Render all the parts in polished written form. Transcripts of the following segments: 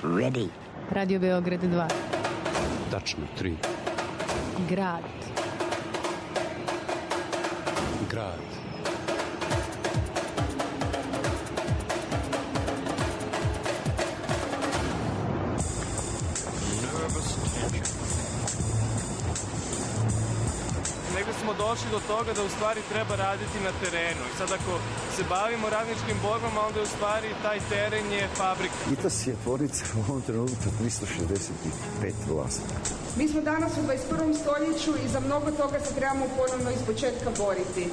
Ready. Radio Beograd 2. Tačno 3. Grad. Grad. Negde smo došli do toga da u stvari treba raditi na terenu. I sad ako se bavimo radničkim borbama, onda u stvari taj teren je fabrika. ITAS je tvornica u ovom trenutku 365 vlasnika. Mi smo danas u 21. stoljeću i za mnogo toga se trebamo ponovno iz početka boriti.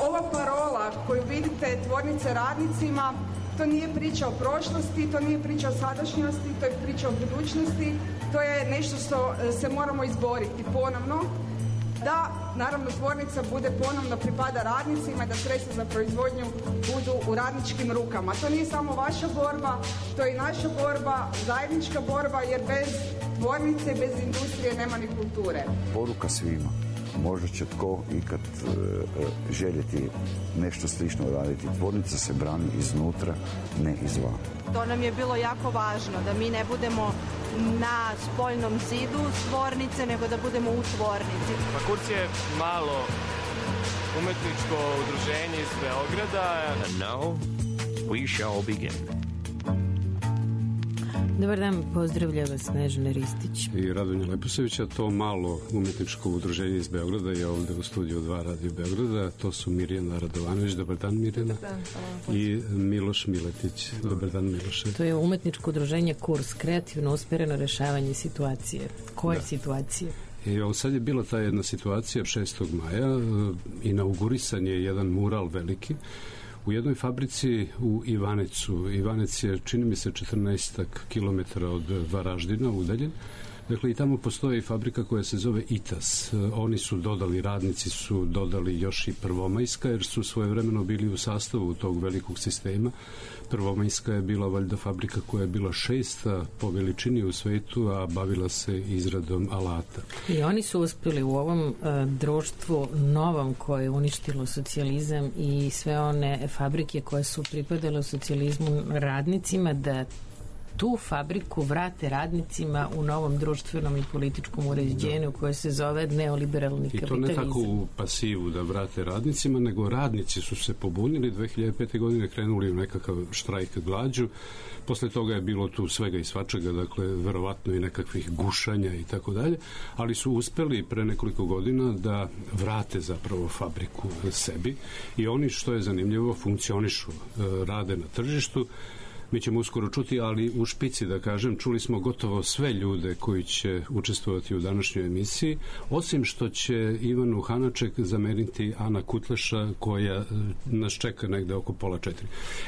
Ova parola koju vidite, tvornice radnicima, to nije priča o prošlosti, to nije priča o sadašnjosti, to je priča o budućnosti, to je nešto što se moramo izboriti ponovno. Da, naravno, tvornica bude ponovno pripada radnicima, da sredstva za proizvodnju budu u radničkim rukama. To nije samo vaša borba, to je i naša borba, zajednička borba, jer bez tvornice, bez industrije nema ni kulture. Poruka svima. Možda će tko ikad željeti nešto slično raditi. Tvornica se brani iznutra, ne izvana. To nam je bilo jako važno, da mi ne budemo na spoljnom zidu tvornice, nego da budemo u tvornici. Kurz je malo umetničko udruženje iz Beograda. And now we shall begin. Dobar dan, pozdravlja vas Snežana Ristić I Radonja Leposevića. To malo umetničko udruženje iz Beograda je ovde u studiju 2 Radio Beograda. To su Mirjana Radovanović. Dobar dan, Mirjana. Dobar dan. I Miloš Miletić. Dobar dan, Miloše. To je umetničko udruženje Kurs, kreativno usmereno rešavanje situacije. Koje situacije? I sad je bila ta jedna situacija 6. maja. Inaugurisan je jedan mural veliki u jednoj fabrici u Ivanecu. Ivanec je, čini mi se, 14 kilometara od Varaždina udaljen. Dakle, i tamo postoji fabrika koja se zove ITAS. Oni su dodali, radnici su dodali još i Prvomajska, jer su svojevremeno bili u sastavu tog velikog sistema. Prvomajska je bila valjda fabrika koja je bila 6. po veličini u svetu, a bavila se izradom alata. I oni su uspeli u ovom društvu novom koje je uništilo socijalizam i sve one fabrike koje su pripadale u socijalizmu radnicima da tu fabriku vrate radnicima u novom društvenom i političkom uređenju koje se zove neoliberalni kapitalizam. I to ne tako u pasivu da vrate radnicima, nego radnici su se pobunili 2005. godine, krenuli u nekakav štrajk glađu. Posle toga je bilo tu svega i svačega, dakle verovatno i nekakvih gušanja i tako dalje, ali su uspeli pre nekoliko godina da vrate zapravo fabriku sebi i oni, što je zanimljivo, funkcionišu, rade na tržištu. Mi ćemo uskoro čuti, ali u špici, da kažem, čuli smo gotovo sve ljude koji će učestvovati u današnjoj emisiji, osim što će Ivanu Hanaček zameniti Ana Kutleša, koja nas čeka negde oko 3:30.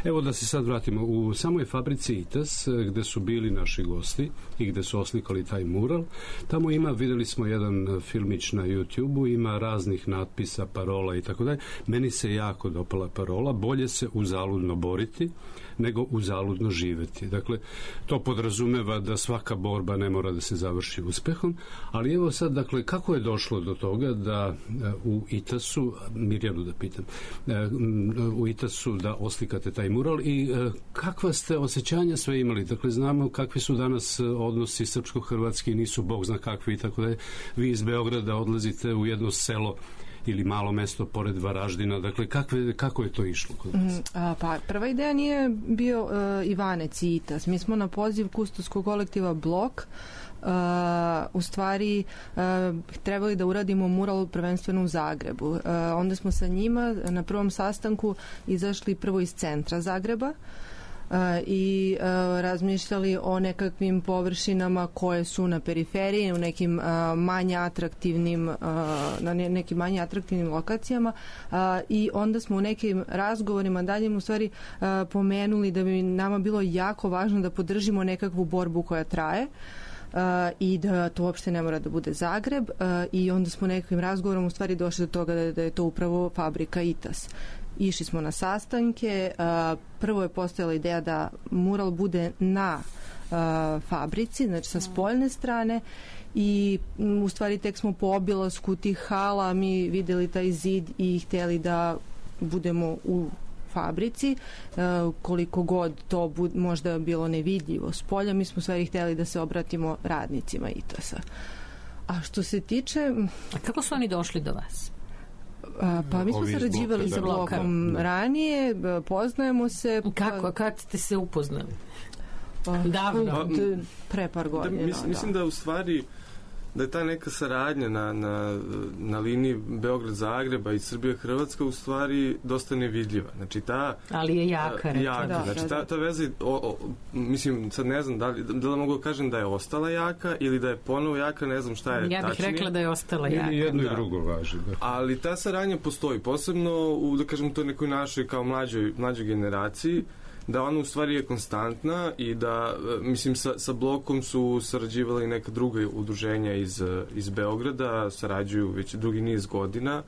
Evo da se sad vratimo. U samoj fabrici ITAS, gde su bili naši gosti i gde su oslikali taj mural, tamo ima, videli smo jedan filmić na YouTube-u, ima raznih natpisa, parola i tako dalje. Meni se jako dopala parola: bolje se uzaludno boriti nego uzaludno živeti. Dakle, to podrazumeva da svaka borba ne mora da se završi uspehom, ali evo sad, dakle, kako je došlo do toga da u ITAS-u, Mirjanu da pitam, u ITAS-u da oslikate taj mural i kakva ste osjećanja sve imali? Dakle, znamo kakvi su danas odnosi srpsko-hrvatski, nisu bog zna kakvi i tako da je. Vi iz Beograda odlazite u jedno selo ili malo mesto pored Varaždina. Dakle, kako je to išlo kod vas? Pa, prva ideja nije bio Ivanec i ITAS. Mi smo na poziv Kustovskog kolektiva Blok u stvari trebali da uradimo mural prvenstveno u Zagrebu. Onda smo sa njima na prvom sastanku izašli prvo iz centra Zagreba i razmišljali o nekakvim površinama koje su na periferiji, u nekim manje atraktivnim na nekim manje atraktivnim lokacijama i onda smo u nekim razgovorima daljim u stvari pomenuli da bi nama bilo jako važno da podržimo nekakvu borbu koja traje i da to uopšte ne mora da bude Zagreb i onda smo nekakvim razgovorom u stvari došli do toga da je to upravo fabrika ITAS. Išli smo na sastanke, prvo je postojala ideja da mural bude na fabrici, znači sa spoljne strane i u stvari tek smo po obilasku tih hala mi videli taj zid i hteli da budemo u fabrici, koliko god to možda bilo nevidljivo s polja, mi smo sve hteli da se obratimo radnicima ITAS-a. A što se tiče... A kako su oni došli do vas? Pa mi smo sarađivali sa blokom ranije, poznajemo se... Kako? Kad ste se upoznali? Davno. Pre par godina. Mislim da u stvari da je ta neka saradnja na liniji Beograd-Zagreba i Srbija-Hrvatska u stvari dosta nevidljiva. Znači ali je jaka. Znači ta veza, mislim, sad ne znam da li mogu da kažem da je ostala jaka ili da je ponovo jaka, ne znam šta je tačnije. Ja bih rekla da je ostala jaka. Ili jedno i drugo važi. Da. Ali ta saradnja postoji, posebno u, da kažem, toj nekoj našoj kao mlađoj generaciji, da ona u stvari je konstantna i da, mislim, sa blokom su sarađivala i neka druga udruženja iz Beograda, sarađuju već drugi niz godina.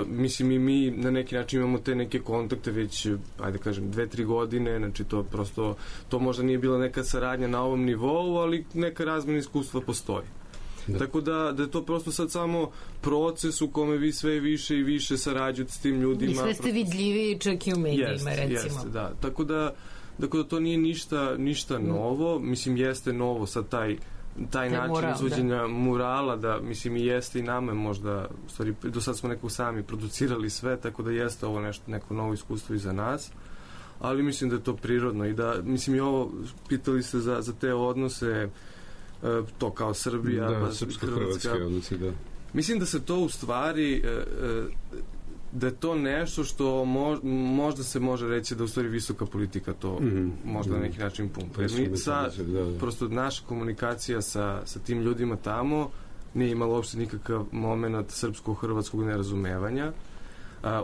Mislim, i mi na neki način imamo te neke kontakte već, ajde kažem, 2-3 godine, znači to prosto, to možda nije bila neka saradnja na ovom nivou, ali neka razmjena iskustva postoji. Da. Tako da je to prosto sad samo proces u kome vi sve više i više sarađujete s tim ljudima. I sve ste vidljiviji čak i u medijima, recimo. Jeste, da. Tako da to nije ništa novo. Mislim, jeste novo sad taj način mural, izvođenja murala, da, mislim, i jeste i nama možda, u stvari, do sad smo neko sami producirali sve, tako da jeste ovo neko novo iskustvo i za nas. Ali mislim da je to prirodno i da, mislim, i ovo, pitali ste za te odnose, to kao Srbija, srpsko-hrvatske odnosi, da. Mislim da se to u stvari da je to nešto što možda se može reći da u stvari visoka politika to možda na neki način pumpa. Prosto naša komunikacija sa tim ljudima tamo nije imala uopšte nikakav moment srpsko-hrvatskog nerazumevanja.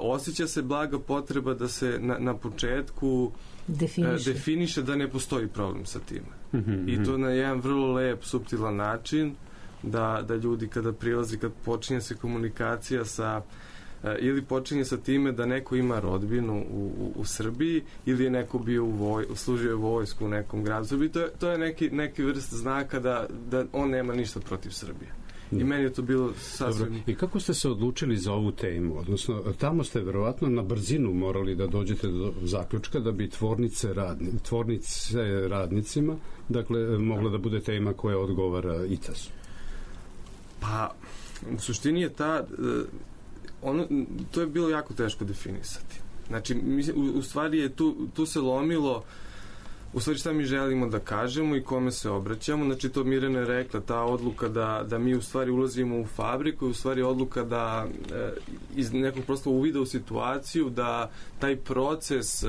Osjeća se blaga potreba da se na početku definiše da ne postoji problem sa time. I to na jedan vrlo lep, suptilan način da ljudi kada prilazi, kad počinje se komunikacija ili počinje sa time da neko ima rodbinu u Srbiji ili je neko bio služio vojsku u nekom gradu Srbiji, to je neki vrst znaka da on nema ništa protiv Srbije. I meni je to bilo sasvim... Dobro. I kako ste se odlučili za ovu temu? Odnosno, tamo ste verovatno na brzinu morali da dođete do zaključka da bi tvornice radnicima, dakle, mogla da bude tema koja odgovara ITAS-u. Pa, u suštini je to je bilo jako teško definisati. Znači, u stvari je tu se lomilo u stvari šta mi želimo da kažemo i kome se obraćamo. Znači, to Mirjana je rekla, ta odluka da mi u stvari ulazimo u fabriku je u stvari odluka da iz nekog prosto uvida u situaciju da taj proces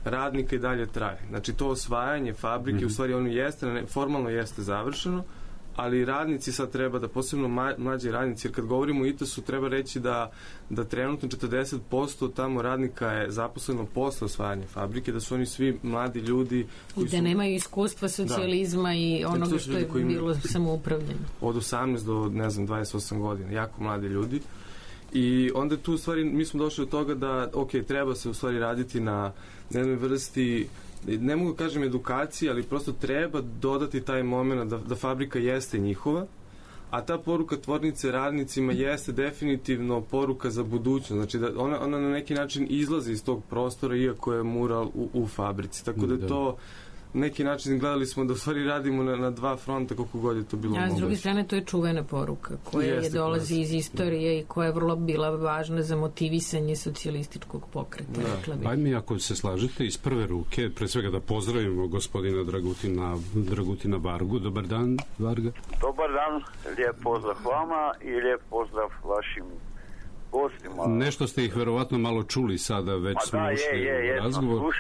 radnika i dalje traje. Znači, to osvajanje fabrike u stvari ono jeste, formalno jeste završeno, ali radnici sad treba da, posebno mlađi radnici, jer kad govorimo o ITAS-u treba reći da trenutno 40% tamo radnika je zaposleno posle osvajanja fabrike, da su oni svi mladi ljudi koji da nemaju iskustva socijalizma i onoga što je bilo samoupravljeno. Od 18 do, ne znam, 28 godina, jako mladi ljudi. I onda tu u stvari mi smo došli do toga da, treba se u stvari raditi na jednoj vrsti, ne mogu kažem edukacije, ali prosto treba dodati taj moment da fabrika jeste njihova, a ta poruka tvornice radnicima jeste definitivno poruka za budućnost. Znači da ona na neki način izlazi iz tog prostora iako je mural u fabrici. Tako da je to neki način, gledali smo da u stvari radimo na dva fronta koliko god je to bilo moguće. A s druge strane to je čuvena poruka koja dolazi iz istorije i koja je vrlo bila važna za motivisanje socijalističkog pokreta. Ajde mi, ako se slažete, iz prve ruke, pre svega da pozdravimo gospodina Dragutina Vargu. Dobar dan, Varga. Dobar dan, lijep pozdrav vama i lijep pozdrav vašim gostima. Nešto ste ih verovatno malo čuli sada, već smo ušli u razgovor.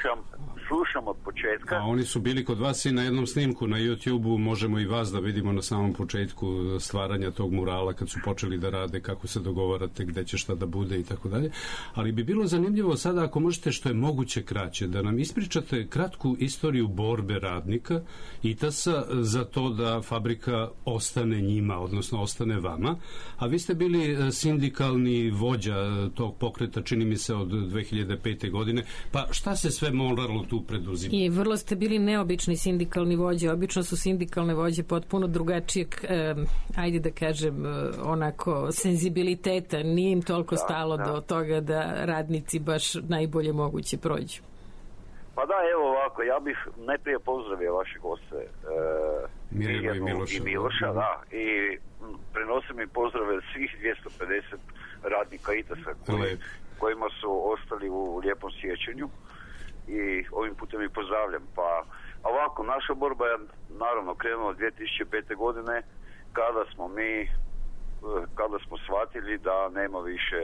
Slušam od početka. A oni su bili kod vas i na jednom snimku na YouTube-u, možemo i vas da vidimo na samom početku stvaranja tog murala kad su počeli da rade, kako se dogovarate, gde će šta da bude i tako dalje. Ali bi bilo zanimljivo sada, ako možete što je moguće kraće, da nam ispričate kratku istoriju borbe radnika ITAS-a za to da fabrika ostane njima, odnosno ostane vama. A vi ste bili sindikalni vođa tog pokreta, čini mi se, od 2005. godine. Pa šta se sve moralo tu tu preduzima. I vrlo ste bili neobični sindikalni vođe. Obično su sindikalne vođe potpuno drugačijeg, ajde da kažem, onako, senzibiliteta. Nije im toliko stalo do toga da radnici baš najbolje moguće prođu. Pa da, evo ovako, ja bih najprije pozdravio vaše goste Mirjanu i Miloša, da, i prenosim im pozdrave svih 250 radnika ITAS-a kojima su ostali u lijepom sjećanju i ovim putem ih pozdravljam. Pa ovako, naša borba je naravno krenula 2005. godine kada smo shvatili da nema više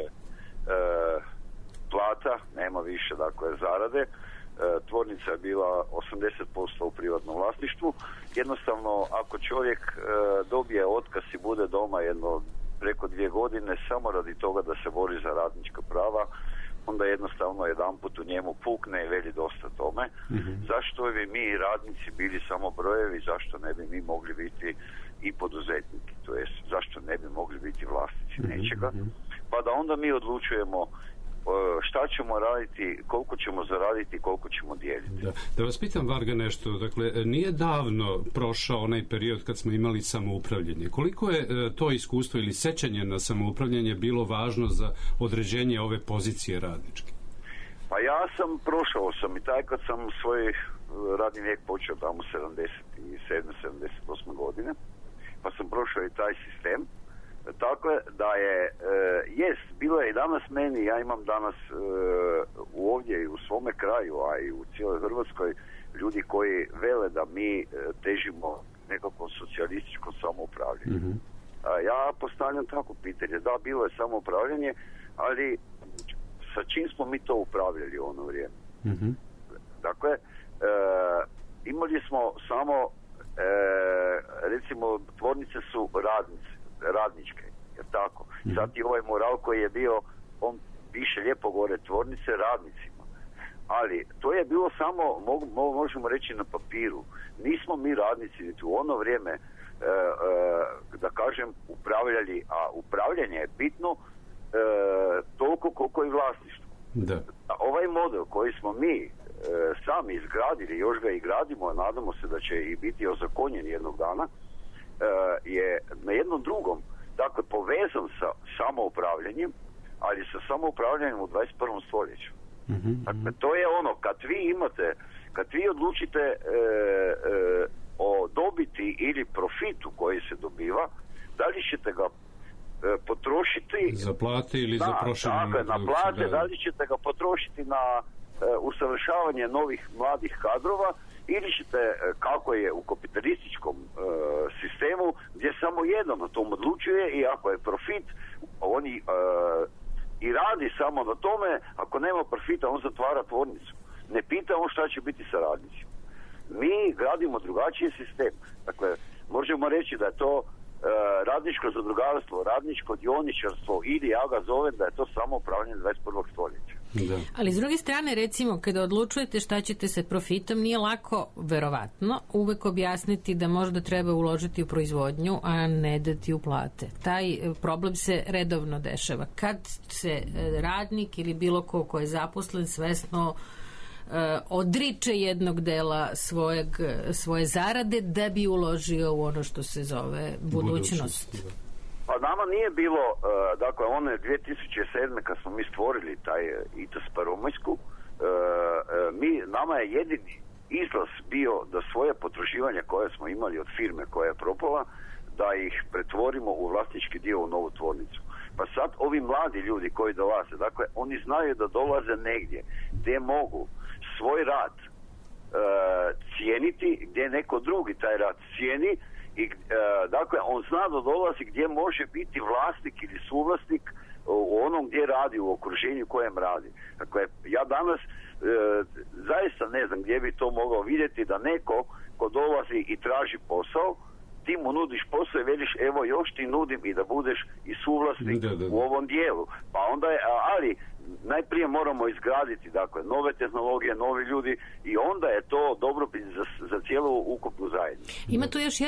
plata, nema više dakle zarade. Tvornica je bila 80% u privatnom vlasništvu. Jednostavno, ako čovjek dobije otkaz i bude doma jedno preko 2 godine samo radi toga da se bori za radnička prava, onda jednostavno jedanput u njemu pukne i veli dosta tome. Zašto bi mi radnici bili samo brojevi, zašto ne bi mi mogli biti i poduzetniki, to jest zašto ne bi mogli biti vlasnici nečega, pa da onda mi odlučujemo šta ćemo raditi, koliko ćemo zaraditi, koliko ćemo dijeliti. Da vas pitam, Varga, nešto. Dakle, nije davno prošao onaj period kad smo imali samoupravljanje. Koliko je to iskustvo ili sećanje na samoupravljanje bilo važno za određenje ove pozicije radničke? Pa ja sam prošao sam i taj kad sam svoj radni vijek počeo tamo 77. 78. godine, pa sam prošao i taj sistem. Tako da je, bilo je i danas meni, ja imam danas ovdje i u svome kraju, a i u cijeloj Hrvatskoj, ljudi koji vele da mi težimo nekakvom socijalističkom samoupravljanju. Ja postavljam tako pitanje, da, bilo je samoupravljanje, ali sa čim smo mi to upravljali u ono vrijeme? Dakle, imali smo samo, recimo, tvornice su radničke, jer tako. Sad i ovaj moral koji je bio, on piše lijepo gore, tvornice radnicima. Ali to je bilo samo, možemo reći, na papiru. Nismo mi radnici niti u ono vrijeme, da kažem, upravljali, a upravljanje je bitno toliko koliko i vlasništvo. Ovaj model koji smo mi sami izgradili, još ga i gradimo, a nadamo se da će i biti ozakonjen jednog dana, je na jednom drugom, dakle, povezan sa samoupravljanjem, ali sa samoupravljanjem u 21. stoljeću. Dakle, to je ono, kad vi odlučite o dobiti ili profitu koji se dobiva, da li ćete ga potrošiti za plate ili za proširenu na plate, da li ćete ga potrošiti na usavršavanje novih mladih kadrova, ili ćete, kako je u kapitalističkom sistemu, gdje samo jedan o tom odlučuje i ako je profit, on i radi samo na tome, ako nema profita, on zatvara tvornicu. Ne pita on šta će biti sa radnicima. Mi gradimo drugačiji sistem. Dakle, možemo reći da je to radničko zadrugarstvo, radničko dioničarstvo, ili ja ga zovem da je to samo upravljanje 21. stoljeća. Ali s druge strane, recimo, kada odlučujete šta ćete sa profitom, nije lako, verovatno, uvek objasniti da možda treba uložiti u proizvodnju, a ne dati u plate. Taj problem se redovno dešava. Kad se radnik ili bilo ko je zaposlen svesno odriče jednog dela svoje zarade da bi uložio u ono što se zove budućnost. Pa nama nije bilo, dakle, one 2007. kad smo mi stvorili taj ITAS Prvomajsku, nama je jedini izlaz bio da svoje potraživanja koje smo imali od firme koja je propala, da ih pretvorimo u vlasnički dio u novu tvornicu. Pa sad ovi mladi ljudi koji dolaze, dakle, oni znaju da dolaze negdje gdje mogu svoj rad cijeniti, gdje neko drugi taj rad cijeni i dakle on zna da dolazi gdje može biti vlasnik ili suvlasnik u onom gdje radi, u okruženju kojem radi. Dakle, ja danas zaista ne znam gdje bi to mogao vidjeti da neko ko dolazi i traži posao, ti mu nudiš posao i veliš evo još ti nudim i da budeš i suvlasnik u ovom dijelu. Pa onda je, ali najprije moramo izgraditi, dakle, nove tehnologije, novi ljudi i onda je to dobro za cijelu ukupnu zajednicu. Ima tu još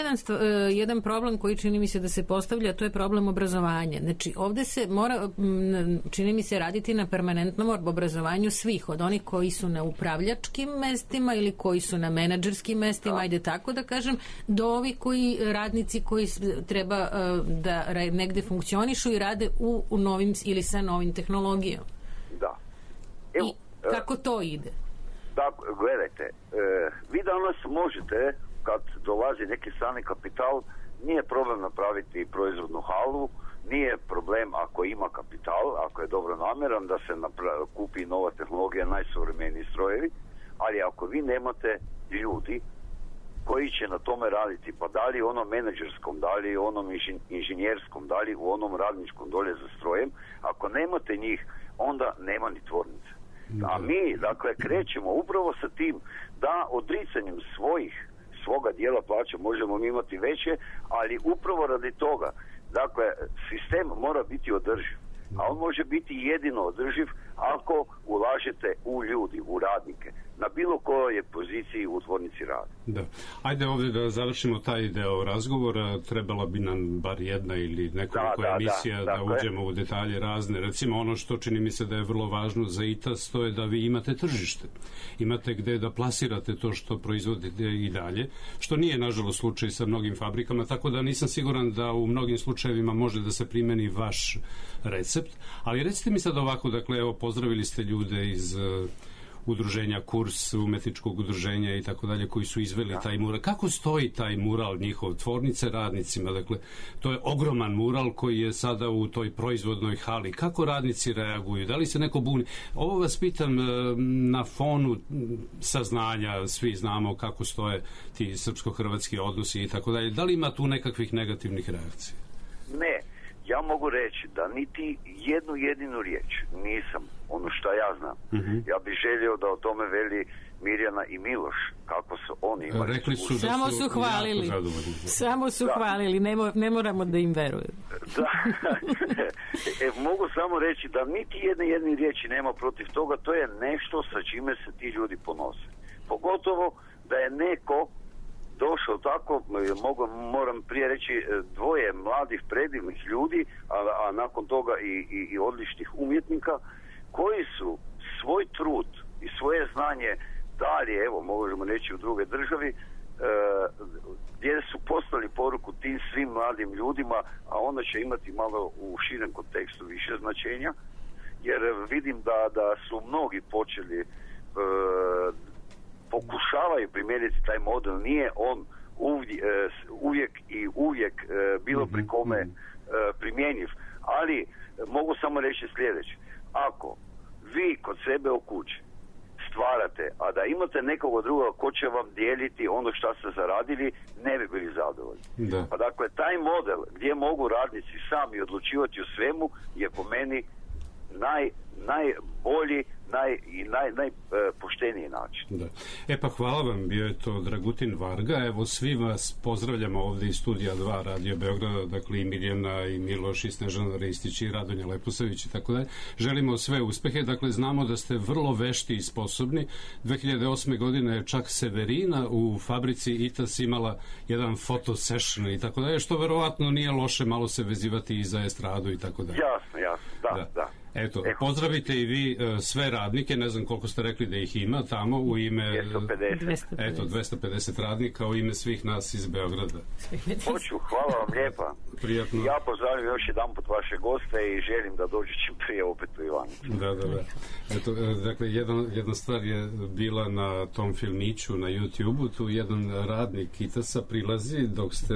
jedan problem koji čini mi se da se postavlja, to je problem obrazovanja. Znači, ovde se mora, čini mi se, raditi na permanentnom obrazovanju svih, od onih koji su na upravljačkim mestima ili koji su na menadžerskim mestima, ajde tako da kažem, do ovi radnici koji treba da negde funkcionišu i rade u novim ili sa novim tehnologijom. Da. Evo, i kako to ide? Da, gledajte, vi danas možete, kad dolazi neki strani kapital, nije problem napraviti proizvodnu halu, nije problem ako ima kapital, ako je dobro namjeran da se kupi nova tehnologija, najsuvremeniji strojevi, ali ako vi nemate ljudi koji će na tome raditi, pa da li u onom menadžerskom, da li u onom inženjerskom, da li u onom radničkom dolje za strojem, ako nemate njih, onda nema ni tvornice. A mi, dakle, krećemo upravo sa tim da odricanjem svoga dijela plaća možemo mi imati veće, ali upravo radi toga, dakle, sistem mora biti održiv. A on može biti jedino održiv ako ulažete u ljudi, u radnike, na bilo kojoj poziciji u tvornici rada. Da. Ajde ovdje da završimo taj deo razgovora. Trebala bi nam bar jedna ili nekoliko emisija da uđemo u detalje razne. Recimo ono što čini mi se da je vrlo važno za ITAS, to je da vi imate tržište. Imate gde da plasirate to što proizvodite i dalje, što nije nažalost slučaj sa mnogim fabrikama, tako da nisam siguran da u mnogim slučajevima može da se primeni vaš recept. Ali recite mi sad ovako, dakle, evo, pozdravili ste ljude iz udruženja Kurs, umetničkog udruženja i tako dalje, koji su izveli taj mural. Kako stoji taj mural njihov, tvornice radnicima? Dakle, to je ogroman mural koji je sada u toj proizvodnoj hali. Kako radnici reaguju? Da li se neko buni? Ovo vas pitam na fonu saznanja, svi znamo kako stoje ti srpsko-hrvatski odnosi i tako dalje. Da li ima tu nekakvih negativnih reakcija? Ne. Ja mogu reći da niti jednu jedinu riječ nisam, ono što ja znam. Ja bih želio da o tome veli Mirjana i Miloš, kako su oni imali. Rekli su da samo su hvalili. Samo su hvalili, ne moramo da im veruju. Da. Mogu samo reći da niti jedne riječi nema protiv toga, to je nešto sa čime se ti ljudi ponose. Pogotovo da je neko došao tako, moram prije reći, dvoje mladih predivnih ljudi, a nakon toga i odličnih umjetnika, koji su svoj trud i svoje znanje dali, evo, možemo reći, u druge državi, gdje su poslali poruku tim svim mladim ljudima, a onda će imati malo u širem kontekstu više značenja, jer vidim da su mnogi počeli pokušavaju primijeniti taj model, nije on uvijek bilo pri kome primjenjiv, ali mogu samo reći sljedeće: ako vi kod sebe u kući stvarate, a da imate nekoga druga ko će vam dijeliti ono što ste zaradili, ne bi bili zadovoljni. Pa dakle, taj model gdje mogu radnici sami odlučivati o svemu je po meni najbolji i najpošteniji način. Da. Pa hvala vam, bio je to Dragutin Varga. Evo, svi vas pozdravljamo ovdje iz Studija 2 Radio Beograda, dakle i Mirjana i Miloš i Snežana Ristić i Radonja Leposavić i tako dalje. Želimo sve uspehe, dakle znamo da ste vrlo vešti i sposobni. 2008. godine je čak Severina u fabrici ITAS imala jedan photo session i tako dalje, što verovatno nije loše malo se vezivati i za estradu i tako dalje. Jasno, da. Eto, pozdravite i vi sve radnike, ne znam koliko ste rekli da ih ima tamo, u ime 250 radnika, u ime svih nas iz Beograda. Hoću, hvala vam lijepa. Prijatno. Ja pozdravim još jedan put vaše goste i želim da dođe čim prije opet u Ivanicu. Da. Eto, dakle, jedna stvar je bila na tom filmiću na YouTube-u, tu jedan radnik ITAS-a prilazi dok ste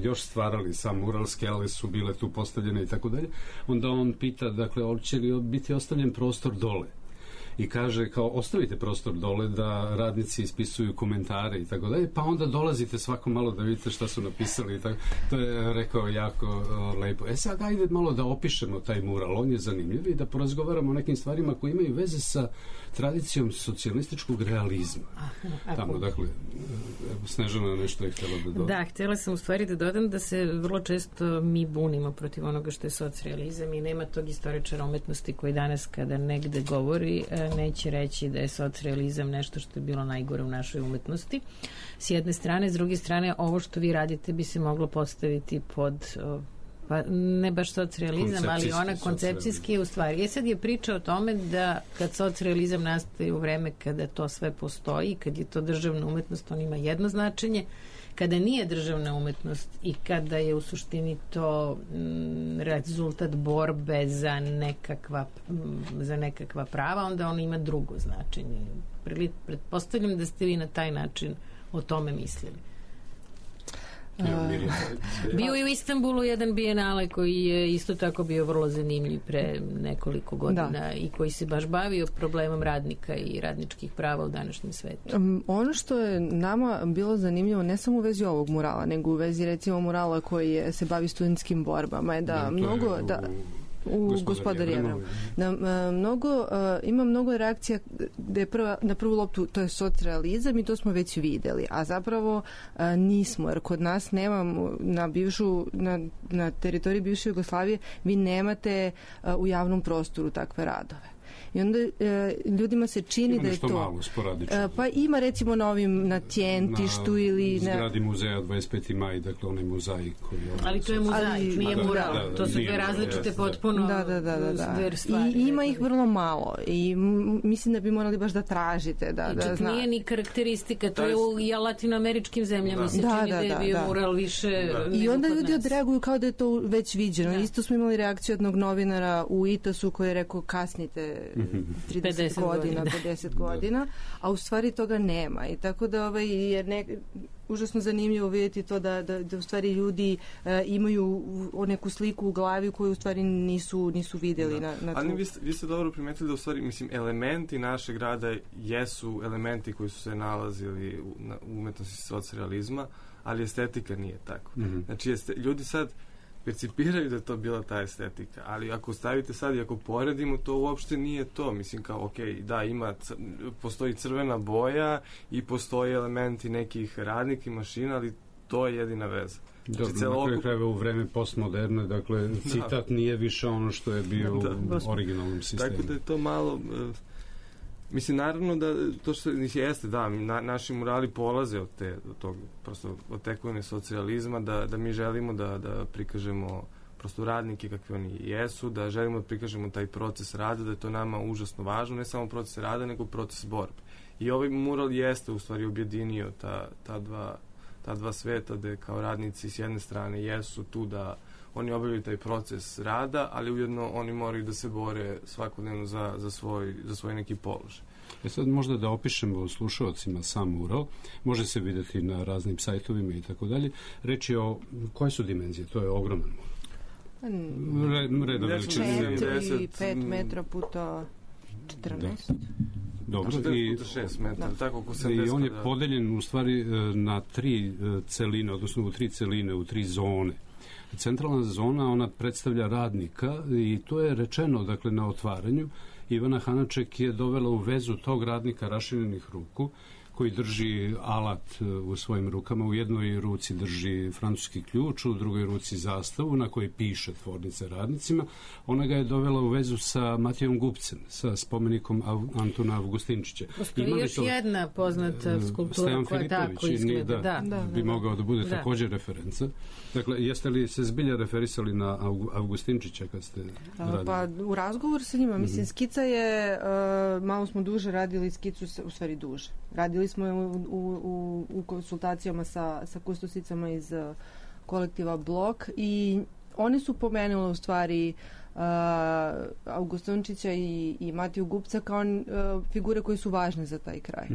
još stvarali sam mural, skele su bile tu postavljene i tako dalje, onda on pita, dakle, će li biti ostavljen prostor dole. i kaže kao ostavite prostor dole da radnici ispisuju komentare i tako dalje, pa onda dolazite svako malo da vidite šta su napisali i tako. To je rekao jako lepo. Sad ajde malo da opišemo taj mural, on je zanimljiv i da porazgovaramo o nekim stvarima koji imaju veze sa tradicijom socijalističkog realizma. Tamo, dakle, Snežana nešto je htjela da doda. Da, htjela sam u stvari da dodam da se vrlo često mi bunimo protiv onoga što je socijalizam i nema tog istoričara umetnosti koji danas kada negde govori neće reći da je socijalizam nešto što je bilo najgore u našoj umetnosti. S jedne strane, s druge strane, ovo što vi radite bi se moglo postaviti pod pa ne baš socijalizam, ali ona koncepcijski u stvari. Sad je priča o tome da kad socijalizam nastaje u vreme kada to sve postoji, kad je to državna umetnost, on ima jedno značenje, kada nije državna umetnost i kada je u suštini to rezultat borbe za nekakva prava, onda on ima drugo značenje. Pretpostavljam da ste vi na taj način o tome mislili. Bio je u Istanbulu jedan bijenale koji je isto tako bio vrlo zanimljiv pre nekoliko godina i koji se baš bavio problemom radnika i radničkih prava u današnjem svetu. Ono što je nama bilo zanimljivo ne samo u vezi ovog murala, nego u vezi recimo murala koji se bavi studentskim borbama je da mnogo u Gospodar Jevrem. Ima mnogo reakcija gde na prvu loptu to je socijalizam i to smo već videli, a zapravo nismo, jer kod nas nemamo na teritoriji bivše Jugoslavije vi nemate u javnom prostoru takve radove. I onda ljudima se čini da je to malo sporadično. Pa ima recimo na Tjentištu ili na zgradi muzeja 25. maj, dakle onaj mozaik koji ali to je mozaik, nije mural. To su dve različite potpuno dve stvari. I ima ih vrlo malo i mislim da bi morali baš da tražite da znate. Nije ni karakteristika, to je u latinoameričkim zemljama se čini da je bio mural više i onda ljudi odreaguju kao da je to već viđeno. Isto smo imali reakciju jednog novinara u Itasu koji je rekao kasnite 50 godina, a u stvari toga nema. I tako da užasno zanimljivo vidjeti to da u stvari ljudi imaju neku sliku u glavi koju u stvari nisu vidjeli na ali vi ste dobro primetili da u stvari, mislim, elementi našeg rada jesu elementi koji su se nalazili u umetnosti socijalizma, ali estetika nije tako. Znači, ljudi sad percipiraju da je to bila ta estetika, ali ako stavite sad i ako poredimo, to uopšte nije to. Mislim kao, postoji crvena boja i postoji elementi nekih radnika i mašina, ali to je jedina veza. Na kraju u vreme postmoderne, dakle, citat nije više ono što je bio u originalnom sistemu. Tako da je to malo... Mislim, naravno da to što jeste, naši murali polaze od tekovine socijalizma, da mi želimo da prikažemo prosto radnike kakvi oni jesu, da želimo da prikažemo taj proces rada, da je to nama užasno važno, ne samo proces rada, nego proces borbe. I ovaj mural jeste u stvari objedinio ta dva sveta, da kao radnici s jedne strane jesu tu da oni obavljaju taj proces rada, ali ujedno oni moraju da se bore svakodnevno za svoj neki položaj. Sad možda da opišemo slušalcima sam mural, može se vidjeti na raznim sajtovima i tako dalje. Reč je o koje su dimenzije? To je ogroman mural. Reda veličine. 5 metra puta 14. Dobro. 4 puta 6 metra. Tako oko 70. I on je podeljen u stvari na 3 celine, odnosno u 3 celine, u 3 zone. Centralna zona, ona predstavlja radnika i to je rečeno, dakle, na otvaranju. Ivana Hanaček je dovela u vezu tog radnika raširenih ruku koji drži alat u svojim rukama. U jednoj ruci drži francuski ključ, u drugoj ruci zastavu na kojoj piše tvornice radnicima. Ona ga je dovela u vezu sa Matijom Gubcem, sa spomenikom Antuna Avgustinčića. Postoji još jedna poznata skulptura koja tako izgleda. Bi mogao da bude također referenca. Dakle, jeste li se zbilja referisali na Avgustinčića kad ste radili? Pa u razgovor sa njima, mislim, skica je, malo smo duže radili skicu, u stvari duže. Radili smo je u konsultacijama sa kustosicama iz kolektiva Blok i oni su pomenuli u stvari Avgustinčića i Matiju Gubca kao figure koje su važne za taj kraj.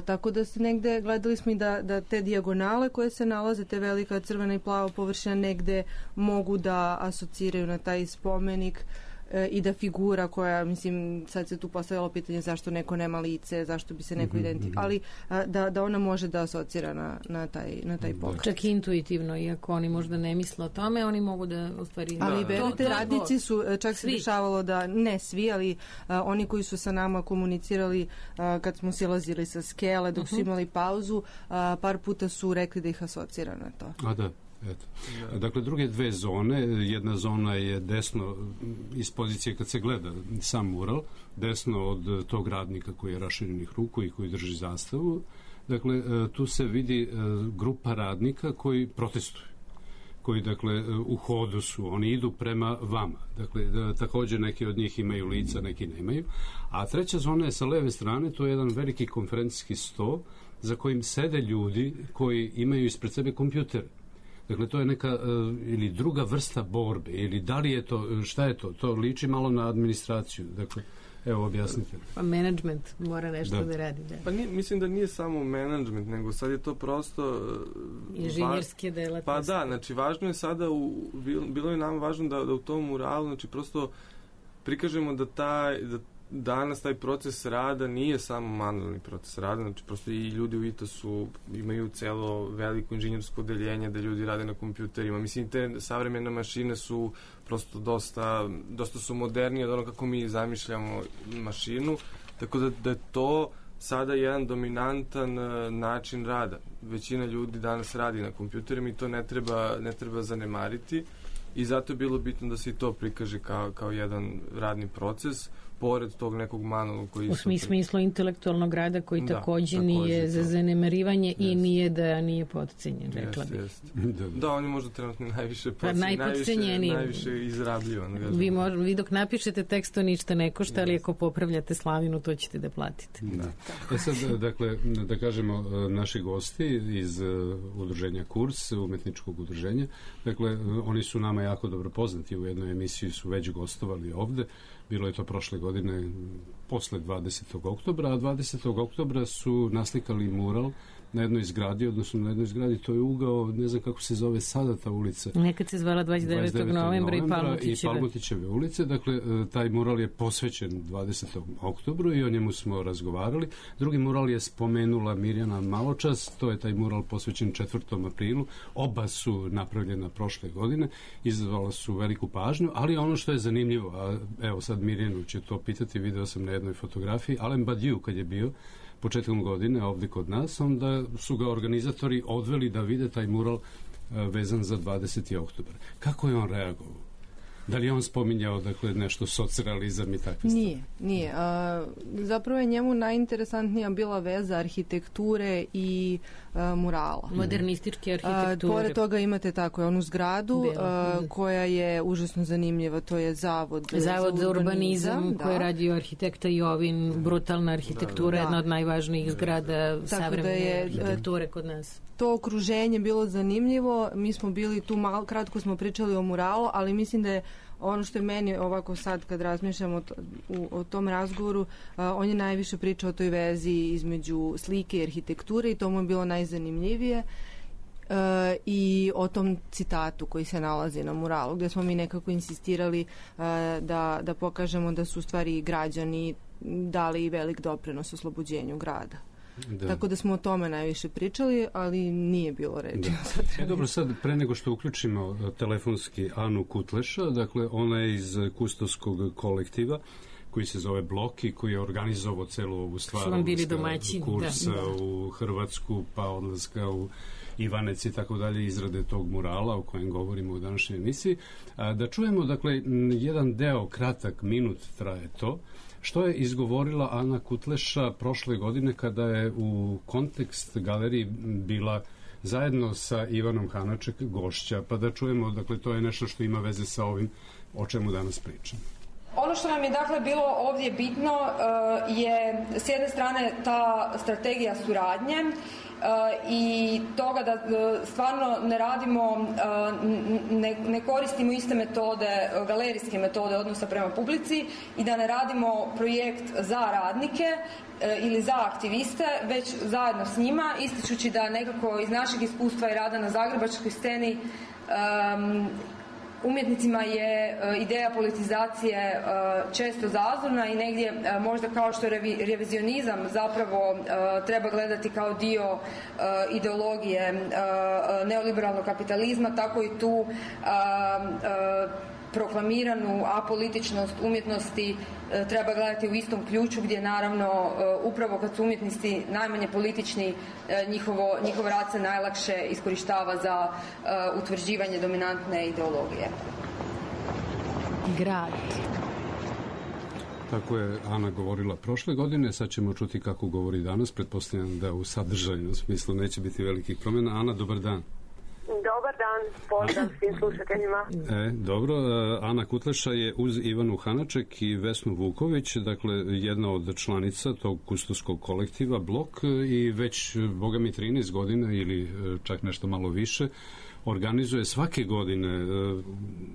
Tako da se negde gledali smo i da te dijagonale koje se nalaze, te velika crvena i plava površina negde mogu da asociraju na taj spomenik i da figura koja, mislim, sad se tu postavilo pitanje zašto neko nema lice, zašto bi se neko identifikovao, ali da ona može da asocira na taj pokret. Čak intuitivno, iako oni možda ne misle o tome, oni mogu da u stvari... Ali verujte, radnici su, čak se dešavalo da, ne svi, ali oni koji su sa nama komunicirali kad smo silazili sa skele, dok su imali pauzu, par puta su rekli da ih asocira na to. A da. Eto. Dakle, druge dve zone, jedna zona je desno iz pozicije kad se gleda sam mural, desno od tog radnika koji je raširenih ruku i koji drži zastavu. Dakle, tu se vidi grupa radnika koji protestuju, koji, dakle, u hodu su, oni idu prema vama. Dakle, također neki od njih imaju lica, neki nemaju. A treća zona je sa leve strane, to je jedan veliki konferencijski sto za kojim sede ljudi koji imaju ispred sebe kompjutere. Dakle, to je neka ili druga vrsta borbe, ili da li je to, šta je to? To liči malo na administraciju. Dakle, evo, objasnite. Pa management mora nešto da radi. Da. Pa mislim da nije samo management, nego sad je to prosto... inženjerske delatnosti. Pa da, znači važno je sada, bilo je nam važno da u tom muralu, znači prosto prikažemo da danas taj proces rada nije samo manualni proces rada, znači prosto i ljudi u ITOS-u imaju celo veliko inženjersko odeljenje da ljudi rade na kompjuterima. Mislim, te savremene mašine su prosto dosta su modernije od ono kako mi zamišljamo mašinu, tako da je to sada jedan dominantan način rada. Većina ljudi danas radi na kompjuterima i to ne treba zanemariti i zato je bilo bitno da se i to prikaže kao jedan radni proces pored tog nekog manualnog koji... U smislu intelektualnog rada koji također nije za zanemarivanje i nije da nije podcenjen, rekla bih. Da, on je možda trenutno najviše najviše izrabljivan. Vi dok napišete tekst, to ništa ne košta, ali ako popravljate slavinu, to ćete da platite. Da. Sad, dakle, da kažemo, naši gosti iz udruženja Kurs, umetničkog udruženja, dakle, oni su nama jako dobro poznati, u jednoj emisiji su već gostovali ovde. Bilo je to prošle godine posle 20. oktobra, a 20. oktobra su naslikali mural na jednoj zgradi, odnosno na jednoj zgradi, to je ugao, ne znam kako se zove sada ta ulica. Nekad se zvala 29. novembra i Palmutićeve ulice. Dakle, taj mural je posvećen 20. oktobru i o njemu smo razgovarali. Drugi mural je spomenula Mirjana maločas, to je taj mural posvećen 4. aprilu. Oba su napravljena prošle godine, izazvala su veliku pažnju, ali ono što je zanimljivo, a evo sad Mirjanu će to pitati, video sam na jednoj fotografiji, Alain Badiou kad je bio početkom godine ovdje kod nas, onda su ga organizatori odveli da vide taj mural vezan za 20. oktobar. Kako je on reagovao? Da li je on spominjao, dakle, nešto socrealizam i takve stvari? Nije. Zapravo je njemu najinteresantnija bila veza arhitekture i murala. Modernističke arhitekture. Pored toga imate tako onu zgradu koja je užasno zanimljiva, to je Zavod za urbanizam koji je radio arhitekta Jovin, brutalna arhitektura, jedna od najvažnijih zgrada savremene arhitekture kod nas. To okruženje bilo zanimljivo, mi smo bili tu kratko smo pričali o muralu, ali mislim da je ono što je meni ovako sad kad razmišljam o tom razgovoru, on je najviše pričao o toj vezi između slike i arhitekture i to mu je bilo najzanimljivije i o tom citatu koji se nalazi na muralu, gdje smo mi nekako insistirali da pokažemo da su u stvari građani dali velik doprinos oslobođenju grada. Da. Tako da smo o tome najviše pričali, ali nije bilo reči. Dobro, sad pre nego što uključimo telefonski Anu Kutleša, dakle ona je iz Kustosskog kolektiva koji se zove Blok i koji je organizovao celu ovu stvar, kursa u Hrvatsku, pa odlaska u Ivanec i tako dalje, izrade tog murala o kojem govorimo u današnjoj emisiji. Da čujemo, dakle, jedan deo, kratak, minut traje to, što je izgovorila Ana Kutleša prošle godine kada je u Kontekst galeriji bila zajedno sa Ivanom Hanaček gošća, pa da čujemo, dakle, to je nešto što ima veze sa ovim o čemu danas pričam. Ono što nam je dakle bilo ovdje bitno je s jedne strane ta strategija suradnje i toga da stvarno ne radimo, ne koristimo iste metode, galerijske metode odnosa prema publici i da ne radimo projekt za radnike ili za aktiviste, već zajedno s njima, ističući da nekako iz našeg iskustva i rada na zagrebačkoj sceni umjetnicima je ideja politizacije često zazorna i negdje možda kao što revizionizam zapravo treba gledati kao dio ideologije neoliberalnog kapitalizma, tako i tu proklamiranu apolitičnost umjetnosti treba gledati u istom ključu, gdje naravno upravo kad su umjetnici najmanje politični, njihov rad se najlakše iskorištava za utvrđivanje dominantne ideologije. Grad. Tako je Ana govorila prošle godine, sad ćemo čuti kako govori danas, pretpostavljam da u sadržajnom smislu neće biti velikih promjena. Ana, dobar dan. Dobar dan, pozdrav svim slušateljima. Dobro, Ana Kutleša je uz Ivanu Hanaček i Vesnu Vuković, dakle jedna od članica tog kustoskog kolektiva Blok i već, boga mi, 13 godina ili čak nešto malo više, organizuje svake godine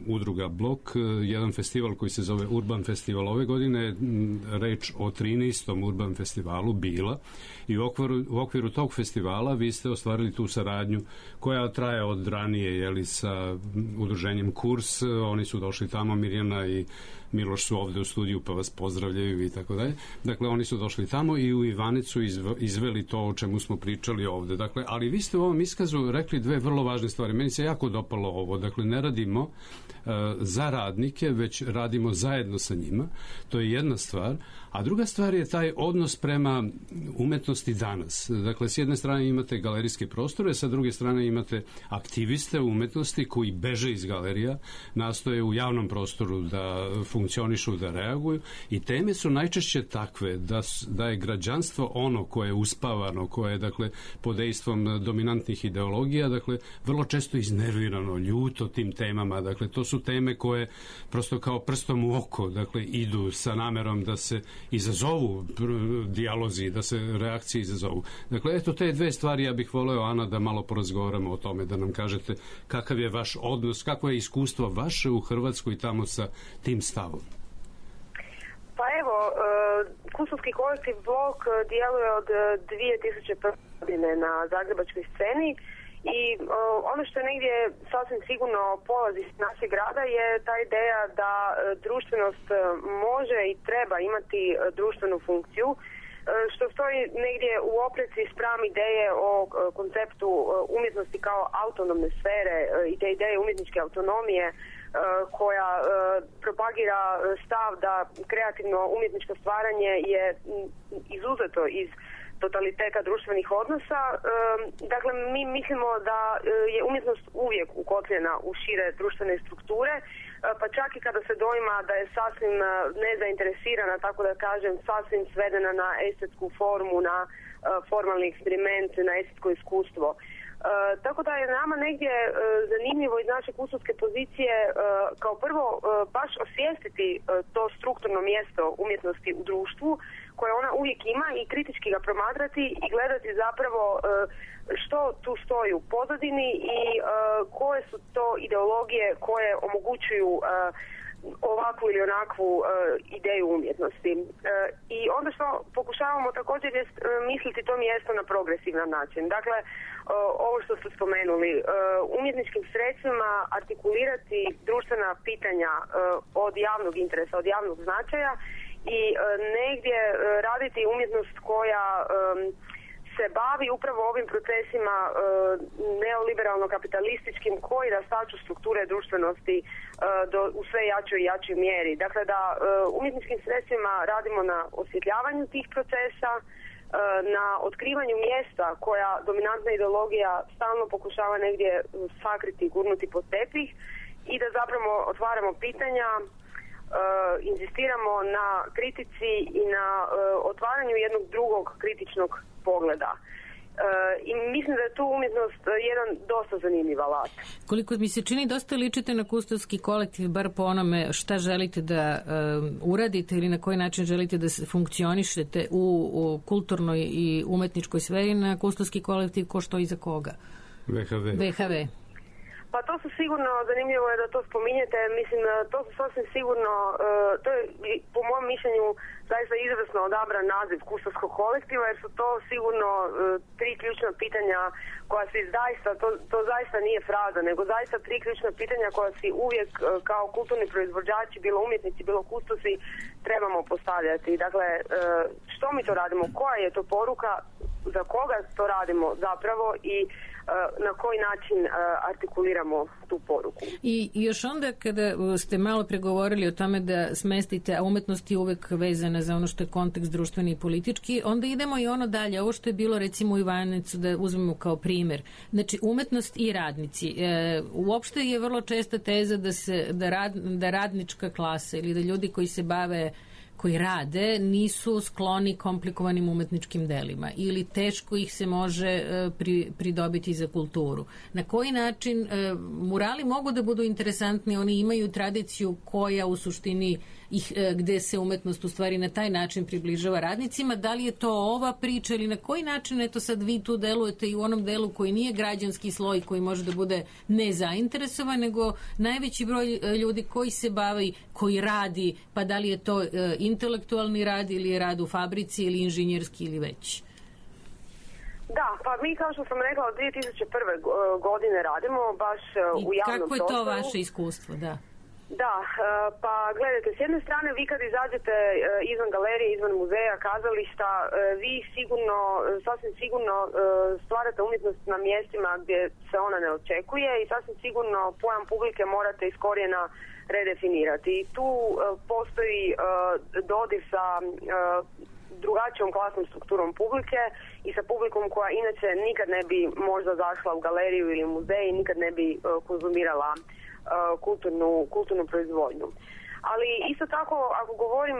udruga Blok jedan festival koji se zove Urban Festival. Ove godine je reč o 13. Urban Festivalu bila i u okviru tog festivala vi ste ostvarili tu saradnju koja traje od ranije, sa udruženjem Kurs. Oni su došli tamo, Mirjana i Miloš su ovde u studiju pa vas pozdravljaju i tako dalje. Dakle, oni su došli tamo i u Ivanicu izveli to o čemu smo pričali ovde. Dakle, ali vi ste u ovom iskazu rekli dve vrlo važne stvari. Meni se jako dopalo ovo. Dakle, ne radimo za radnike, već radimo zajedno sa njima. To je jedna stvar. A druga stvar je taj odnos prema umetnosti danas. Dakle, s jedne strane imate galerijske prostore, sa druge strane imate aktiviste umetnosti koji beže iz galerija, nastoje u javnom prostoru da funkcionišu, da reaguju i teme su najčešće takve da je građanstvo ono koje je uspavano, koje je, dakle, pod dejstvom dominantnih ideologija, dakle, vrlo često iznervirano, ljuto tim temama. Dakle, to su teme koje prosto kao prstom u oko, dakle, idu sa namerom da se izazovu dijalozi, da se reakcije izazovu. Dakle, eto te dve stvari ja bih voleo, Ana, da malo porazgovaramo o tome, da nam kažete kakav je vaš odnos, kako je iskustvo vaše u Hrvatskoj tamo sa tim stavom. Pa evo, kustovski kolektiv Blok djeluje od 2001. godine na zagrebačkoj sceni i ono što je negdje sasvim sigurno polazi iz našeg grada je ta ideja da društvenost može i treba imati društvenu funkciju, što stoji negdje u opreci spram ideje o konceptu umjetnosti kao autonomne sfere i te ideje umjetničke autonomije koja propagira stav da kreativno umjetničko stvaranje je izuzeto iz totaliteta društvenih odnosa. Dakle, mi mislimo da je umjetnost uvijek ukotljena u šire društvene strukture, pa čak i kada se doima da je sasvim nezainteresirana, tako da kažem, sasvim svedena na estetsku formu, na formalni eksperiment, na estetsko iskustvo. Tako da je nama negdje zanimljivo iz naše kustovske pozicije kao prvo baš osvijestiti to strukturno mjesto umjetnosti u društvu koje ona uvijek ima i kritički ga promatrati i gledati zapravo što tu stoji u pozadini i koje su to ideologije koje omogućuju ovakvu ili onakvu ideju umjetnosti. I onda što pokušavamo također je misliti to mjesto na progresivan način. Dakle, ovo što ste spomenuli, umjetničkim sredstvima artikulirati društvena pitanja od javnog interesa, od javnog značaja i negdje raditi umjetnost koja se bavi upravo ovim procesima neoliberalno-kapitalističkim koji rastaču strukture društvenosti u sve jačoj i jačoj mjeri. Dakle, da umjetničkim sredstvima radimo na osvjetljavanju tih procesa, na otkrivanju mjesta koja dominantna ideologija stalno pokušava negdje sakriti, gurnuti pod tepih i da zapravo otvaramo pitanja, inzistiramo na kritici i na otvaranju jednog drugog kritičnog pogleda. I mislim da je tu umjetnost jedan dosta zanimljiv alat. Koliko mi se čini, dosta ličite na kustovski kolektiv, bar po onome šta želite da uradite ili na koji način želite da funkcionišete u kulturnoj i umetničkoj sferi, na kustovski kolektiv ko što i za koga? VHV. Pa to su sigurno, zanimljivo je da to spominjete, mislim to su sasvim sigurno, to je po mom mišljenju zaista izvrsno odabran naziv kustovskog kolektiva, jer su to sigurno tri ključna pitanja koja si zaista, to zaista nije fraza, nego zaista tri ključna pitanja koja si uvijek kao kulturni proizvođači, bilo umjetnici, bilo kustosi, trebamo postavljati. Dakle, što mi to radimo, koja je to poruka, za koga to radimo zapravo i na koji način artikuliramo tu poruku. I još onda kada ste malo pregovorili o tome da smestite, a umetnost je uvek vezana za ono što je kontekst društveni i politički, onda idemo i ono dalje. Ovo što je bilo recimo u Ivanecu, da uzmemo kao primer. Znači, umetnost i radnici. Uopšte je vrlo česta teza da radnička klasa ili da ljudi koji se bave, koji rade, nisu skloni komplikovanim umetničkim delima ili teško ih se može pridobiti za kulturu. Na koji način murali mogu da budu interesantni, oni imaju tradiciju koja u suštini gde se umetnost u stvari na taj način približava radnicima. Da li je to ova priča ili na koji način, eto sad vi tu delujete i u onom delu koji nije građanski sloj, koji može da bude nezainteresovan, nego najveći broj ljudi koji se bavi, koji radi, pa da li je to intelektualni rad ili je rad u fabrici ili inženjerski ili već? Da, pa mi kao što sam rekla od 2001. godine radimo baš u javnom prostoru. I kako je to vaše iskustvo, da? Da, pa gledajte, s jedne strane vi kad izađete izvan galerije, izvan muzeja, kazališta, vi sigurno, sasvim sigurno stvarate umjetnost na mjestima gdje se ona ne očekuje i sasvim sigurno pojam publike morate iz korijena redefinirati. I tu postoji dodir sa drugačijom klasnom strukturom publike i sa publikom koja inače nikad ne bi možda zašla u galeriju ili muzej i nikad ne bi konzumirala kulturnu proizvodnju. Ali isto tako, ako govorim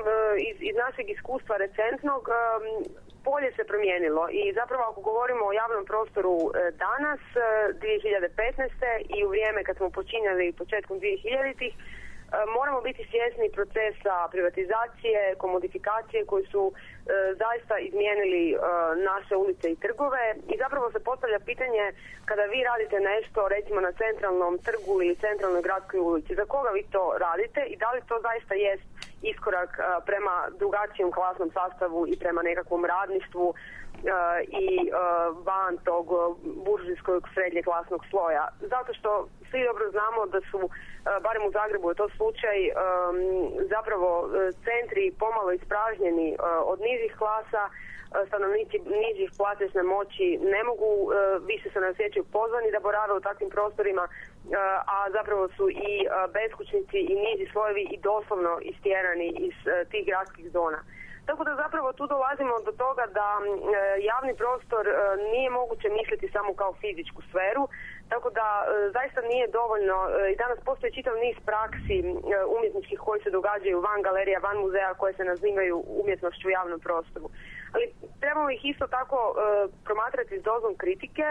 iz našeg iskustva recentnog, polje se promijenilo i zapravo ako govorimo o javnom prostoru danas, 2015. i u vrijeme kad smo počinjali početkom 2000-ih, moramo biti svjesni procesa privatizacije, komodifikacije koji su zaista izmijenili naše ulice i trgove i zapravo se postavlja pitanje kada vi radite nešto recimo na centralnom trgu ili centralnoj gradskoj ulici, za koga vi to radite i da li to zaista jest iskorak prema drugačijem klasnom sastavu i prema nekakvom radništvu i van tog buržijskog srednje klasnog sloja. Zato što svi dobro znamo da su, barem u Zagrebu je to slučaj, zapravo centri pomalo ispražnjeni od nižih klasa, stanovnici nižih platežne moći ne mogu, više se ne osjećaju pozvani da borave u takvim prostorima, a zapravo su i beskućnici i niži slojevi i doslovno istjerani iz tih gradskih zona. Tako da zapravo tu dolazimo do toga da javni prostor nije moguće misliti samo kao fizičku sferu, tako da zaista nije dovoljno, i danas postoji čitav niz praksi umjetničkih koji se događaju van galerija, van muzeja, koje se nazivaju umjetnošću u javnom prostoru. Ali trebamo ih isto tako promatrati s dozom kritike,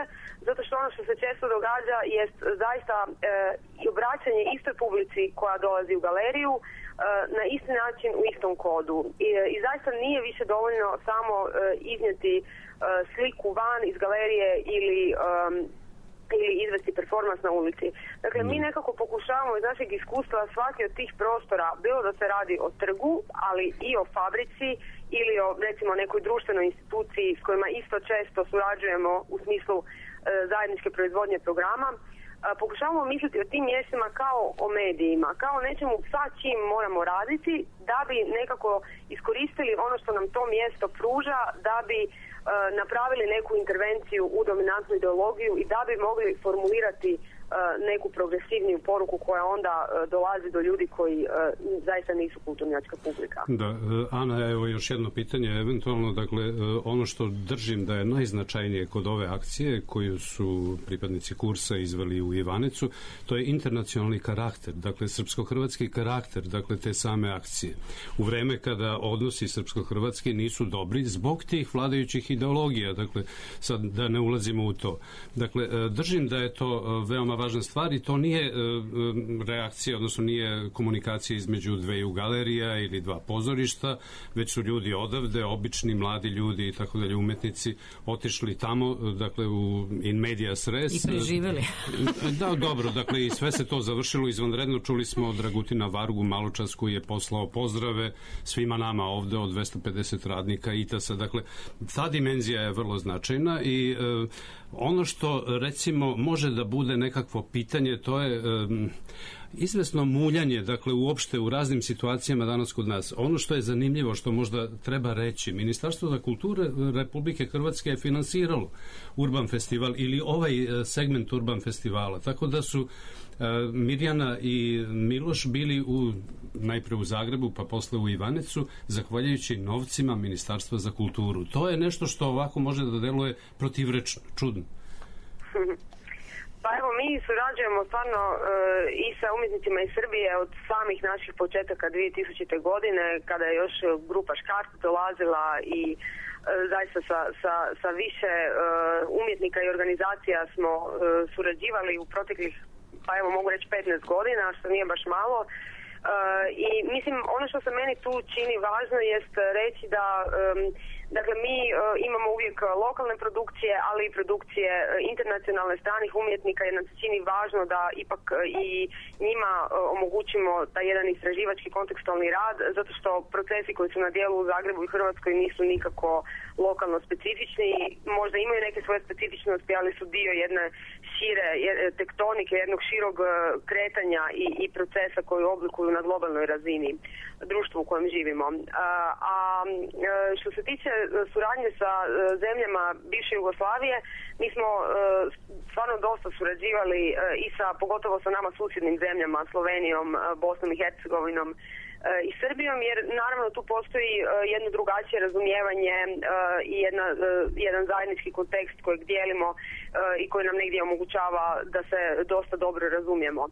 zato što ono što se često događa jest zaista i obraćanje istoj publici koja dolazi u galeriju na isti način u istom kodu. I zaista nije više dovoljno samo iznijeti sliku van iz galerije ili izvesti performans na ulici. Dakle, mi nekako pokušavamo iz našeg iskustva svaki od tih prostora, bilo da se radi o trgu, ali i o fabrici ili o recimo nekoj društvenoj instituciji s kojima isto često surađujemo u smislu zajedničke proizvodnje programa, pokušavamo misliti o tim mjestima kao o medijima, kao nečemu sa čim moramo raditi da bi nekako iskoristili ono što nam to mjesto pruža, da bi napravili neku intervenciju u dominantnu ideologiju i da bi mogli formulirati neku progresivniju poruku koja onda dolazi do ljudi koji zaista nisu kulturnjačka publika. Da, Ana, evo još jedno pitanje, eventualno, dakle, ono što držim da je najznačajnije kod ove akcije koju su pripadnici kursa izveli u Ivanecu, to je internacionalni karakter, dakle, srpsko-hrvatski karakter, dakle, te same akcije. U vreme kada odnosi srpsko-hrvatski nisu dobri zbog tih vladajućih ideologija, dakle, sad da ne ulazimo u to. Dakle, držim da je to veoma važna stvar i to nije reakcija, odnosno nije komunikacija između dveju galerija ili dva pozorišta, već su ljudi odavde, obični, mladi ljudi i tako dalje, umetnici, otišli tamo, dakle, u in medias res. I preživeli. Da, dobro, dakle, i sve se to završilo izvanredno. Čuli smo od Dragutina Vargu maločas koji je poslao pozdrave svima nama ovde od 250 radnika ITAS-a. Dakle, ta dimenzija je vrlo značajna i ono što, recimo, može da bude nekakvo pitanje, to je izvesno muljanje, dakle, uopšte u raznim situacijama danas kod nas. Ono što je zanimljivo, što možda treba reći, Ministarstvo za kulture Republike Hrvatske je finansiralo Urban festival ili ovaj segment Urban festivala, tako da su Mirjana i Miloš bili najpre u Zagrebu, pa posle u Ivanecu, zahvaljujući novcima Ministarstva za kulturu. To je nešto što ovako može da deluje protivrečno, čudno. Pa evo, mi surađujemo stvarno i sa umjetnicima iz Srbije od samih naših početaka 2000. godine, kada je još grupa Škart dolazila i zaista sa više umjetnika i organizacija smo surađivali u proteklih, pa evo mogu reći 15 godina, što nije baš malo. I mislim, ono što se meni tu čini važno jest reći da dakle, mi imamo uvijek lokalne produkcije, ali i produkcije internacionalne stranih umjetnika, jer nam se čini važno da ipak i njima omogućimo taj jedan istraživački kontekstualni rad, zato što procesi koji su na dijelu u Zagrebu i Hrvatskoj nisu nikako lokalno specifični, možda imaju neke svoje specifičnosti, ali su dio jedne šire tektonike, jednog širog kretanja i procesa koji oblikuju na globalnoj razini društvu u kojem živimo. A što se tiče suradnje sa zemljama bivše Jugoslavije, mi smo stvarno dosta surađivali i pogotovo sa nama susjednim zemljama, Slovenijom, Bosnom i Hercegovinom i Srbijom, jer naravno tu postoji jedno drugačije razumijevanje i jedan zajednički kontekst kojeg dijelimo i koji nam negdje omogućava da se dosta dobro razumijemo.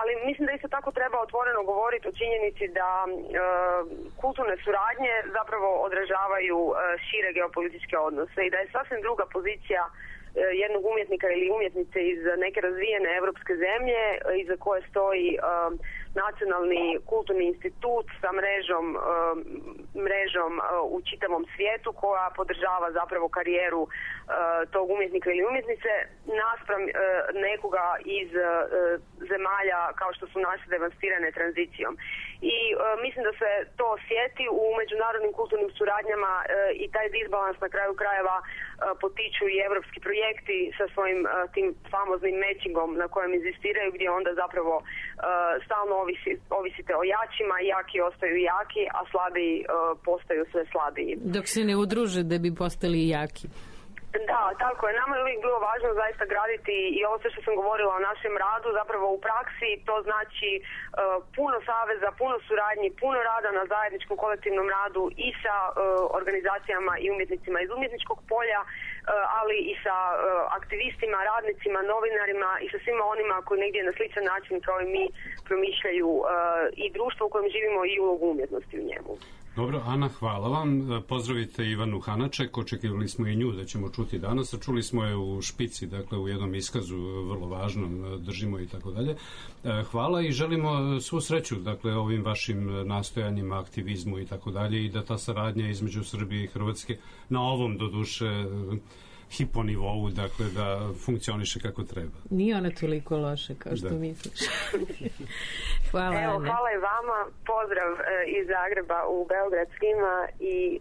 Ali mislim da isto tako treba otvoreno govoriti o činjenici da kulturne suradnje zapravo odražavaju šire geopolitičke odnose i da je sasvim druga pozicija jednog umjetnika ili umjetnice iz neke razvijene evropske zemlje iza koje stoji nacionalni kulturni institut sa mrežom u čitavom svijetu koja podržava zapravo karijeru tog umjetnika ili umjetnice naspram nekoga iz zemalja kao što su naše devastirane tranzicijom. I mislim da se to osjeti u međunarodnim kulturnim suradnjama i taj disbalans na kraju krajeva potiču i evropski projekti sa svojim tim famoznim matchingom na kojem inzistiraju, gdje onda zapravo stalno ovisite o jačima, jaki ostaju jaki, a slabiji postaju sve slabiji. Dok se ne udruže da bi postali jaki. Da, tako je. Nama je uvijek bilo važno zaista graditi i ovo sve što sam govorila o našem radu, zapravo u praksi to znači puno saveza, puno suradnji, puno rada na zajedničkom kolektivnom radu i sa organizacijama i umjetnicima iz umjetničkog polja, ali i sa aktivistima, radnicima, novinarima i sa svima onima koji negdje na sličan način kao i mi promišljaju i društvo u kojem živimo i ulogu umjetnosti u njemu. Dobro, Ana, hvala vam. Pozdravite Ivanu Hanaček, očekivali smo i nju da ćemo čuti danas, a čuli smo je u špici, dakle u jednom iskazu vrlo važnom, držimo i tako dalje. Hvala i želimo svu sreću, dakle, ovim vašim nastojanjima, aktivizmu i tako dalje i da ta saradnja između Srbije i Hrvatske na ovom, doduše, hiponivou, dakle, da funkcioniše kako treba. Nije ona toliko loša kao što misliš. Hvala. Evo, hvala i vama. Pozdrav iz Zagreba u Beograd svima i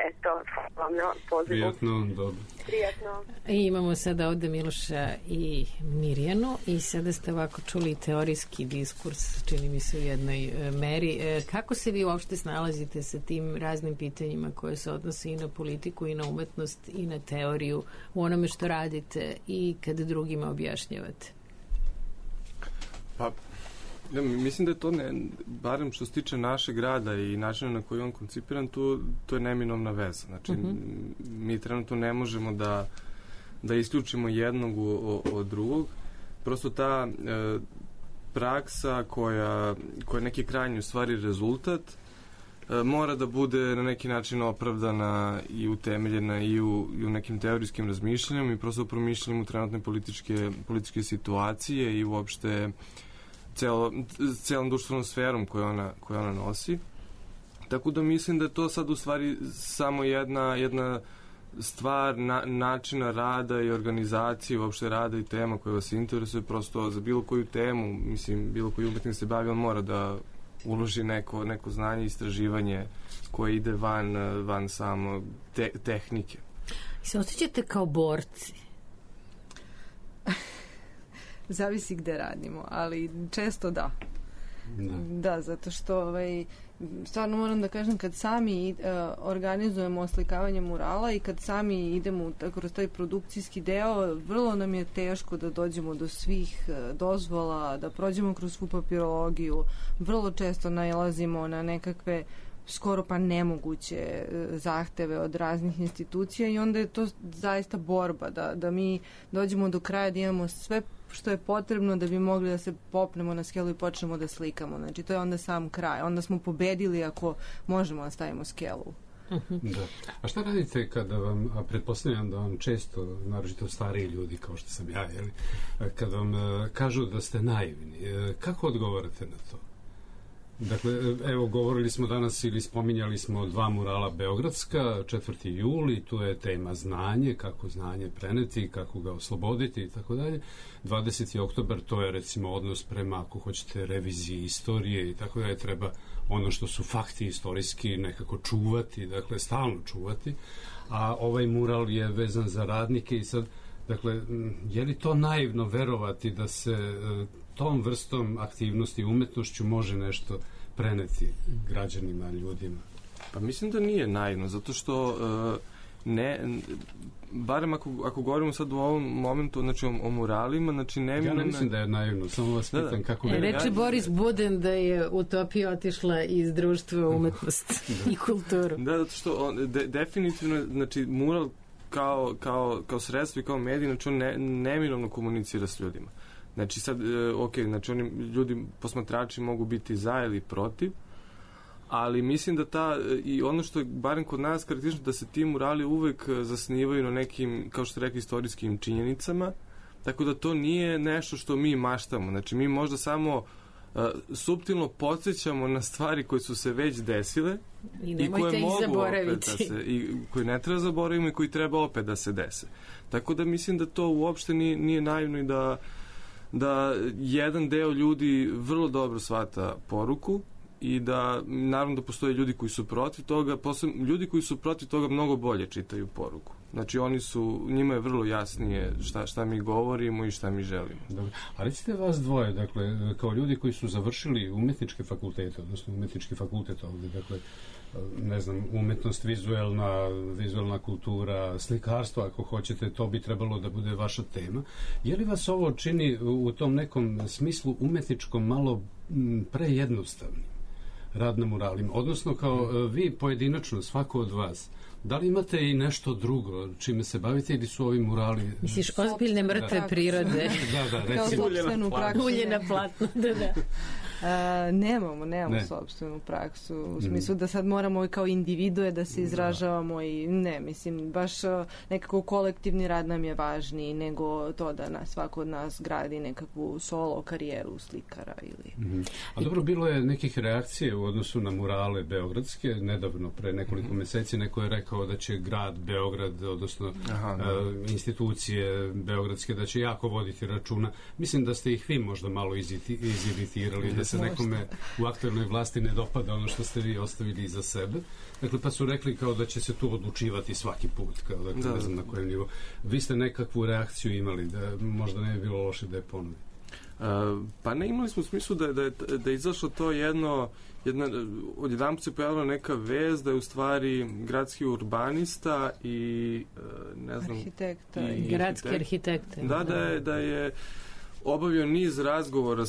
eto, hvala vam na pozivu. Prijatno, dobro. Prijatno. I imamo sada ovde Miloša i Mirjanu i sada ste ovako čuli teorijski diskurs, čini mi se u jednoj meri. Kako se vi uopšte snalazite sa tim raznim pitanjima koje se odnose i na politiku i na umetnost i na teoriju u onome što radite i kada drugima objašnjavate? Pa, ja, mislim da je to, barem što se tiče našeg rada i načina na koji je on koncipiran, to je neminovna veza. Znači, mi trenutno ne možemo da isključimo jednog od drugog. Prosto ta praksa koja je neki krajnji u stvari rezultat mora da bude na neki način opravdana i utemeljena i u nekim teorijskim razmišljanjima i prosto promišljanjem trenutne političke situacije i uopšte celom društvenom sferom koju ona nosi. Tako da mislim da je to sad u stvari samo jedna stvar načina rada i organizacije, uopšte rada i tema koja vas interesuje, prosto za bilo koju temu, mislim, bilo koji umetnik se bavi, on mora da uloži neko znanje i istraživanje koje ide van samo tehnike. I se osjećate kao borci? Zavisi gde radimo, ali često da. Da, zato što stvarno moram da kažem, kad sami organizujemo oslikavanje murala i kad sami idemo kroz taj produkcijski deo, vrlo nam je teško da dođemo do svih dozvola, da prođemo kroz svu papirologiju. Vrlo često nailazimo na nekakve skoro pa nemoguće zahteve od raznih institucija i onda je to zaista borba da mi dođemo do kraja, da imamo sve što je potrebno da bi mogli da se popnemo na skelu i počnemo da slikamo. Znači, to je onda sam kraj. Onda smo pobedili ako možemo da stavimo skelu. Da. A šta radite kada vam, a pretpostavljam da vam često, naročito stariji ljudi kao što sam ja, kada vam kažu da ste naivni, kako odgovarate na to? Dakle, evo, govorili smo danas ili spominjali smo 2 murala beogradska, 4. juli, tu je tema znanje, kako znanje preneti, kako ga osloboditi i tako dalje. 20. oktobar, to je recimo odnos prema, ako hoćete, reviziji istorije i tako dalje, treba ono što su fakti istorijski nekako čuvati, dakle, stalno čuvati, a ovaj mural je vezan za radnike i sad, dakle, je li to naivno verovati da se tom vrstom aktivnosti i umetnošću može nešto preneti građanima, ljudima? Pa mislim da nije naivno, zato što barem ako govorimo sad u ovom momentu, znači o muralima, znači ja ne mislim da je naivno, samo vas pitam kako... Reči Boris Buden da je utopija otišla iz društva umetnosti i kulturu. Da, zato što definitivno, znači mural kao sredstvo i kao medij, znači on neminovno komunicira s ljudima. Znači sad, znači oni ljudi, posmatrači mogu biti za ili protiv, ali mislim da i ono što je barem kod nas karakteristično, da se ti murali uvek zasnivaju na nekim, kao što ste rekli, istorijskim činjenicama, tako da to nije nešto što mi maštamo. Znači mi možda samo suptilno podsjećamo na stvari koje su se već desile i koje mogu opet i koje ne treba zaboravimo i koji treba opet da se dese. Tako da mislim da to uopšte nije naivno i da jedan deo ljudi vrlo dobro shvata poruku i da naravno da postoje ljudi koji su protiv toga, ljudi koji su protiv toga mnogo bolje čitaju poruku. Znači njima je vrlo jasnije šta mi govorimo i šta mi želimo. Dobro. A recite vas dvoje, dakle, kao ljudi koji su završili umetničke fakultete, odnosno umetnički fakultet ovdje, dakle, ne znam, umetnost, vizualna kultura, slikarstvo, ako hoćete, to bi trebalo da bude vaša tema. Je li vas ovo čini u tom nekom smislu umetničkom malo prejednostavnim, rad na muralima? Odnosno, kao vi pojedinačno, svako od vas, da li imate i nešto drugo čime se bavite ili su ovi murali... Misliš, ozbiljne mrtve prirode? Da, recimo. Ulje na platnu, da. Nemamo sopstvenu praksu, u smislu da sad moramo kao individue da se izražavamo i mislim, baš nekako kolektivni rad nam je važniji nego to da svako od nas gradi nekakvu solo karijeru slikara ili... A dobro, bilo je nekih reakcije u odnosu na murale beogradske, nedavno, pre nekoliko meseci, neko je rekao da će grad Beograd, odnosno institucije beogradske, da će jako voditi računa. Mislim da ste ih vi možda malo iziritirali, da se nekome u aktuelnoj vlasti ne dopada ono što ste vi ostavili iza sebe. Dakle, pa su rekli kao da će se tu odlučivati svaki put, kao dakle, ne znam na kojem nivou. Vi ste nekakvu reakciju imali, da možda ne bi bilo loše da je ponovi? Pa ne, imali smo u smislu da je izašlo to odjedanput se pojavila neka vez da je u stvari gradski urbanista i ne znam... Arhitekta. I gradski arhitekte. Da je obavio niz razgovora